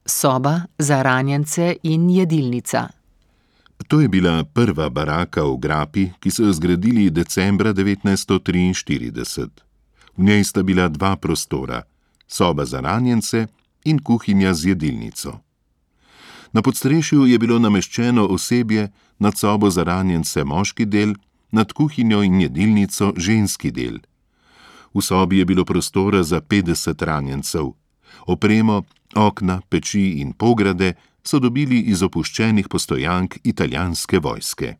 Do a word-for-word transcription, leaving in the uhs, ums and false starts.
Soba za ranjence in jedilnica. To je bila prva baraka v grapi, ki so jo zgradili decembra devetnajststo triinštirideset. V njej sta bila dva prostora, soba za ranjence in kuhinja z jedilnico. Na podstrešju je bilo nameščeno osebje, nad sobo za ranjence moški del, nad kuhinjo in jedilnico ženski del. V sobi je bilo prostora za petdeset ranjencev. Opremo, okna, peči in pograde so dobili iz opuščenih postojank italijanske vojske.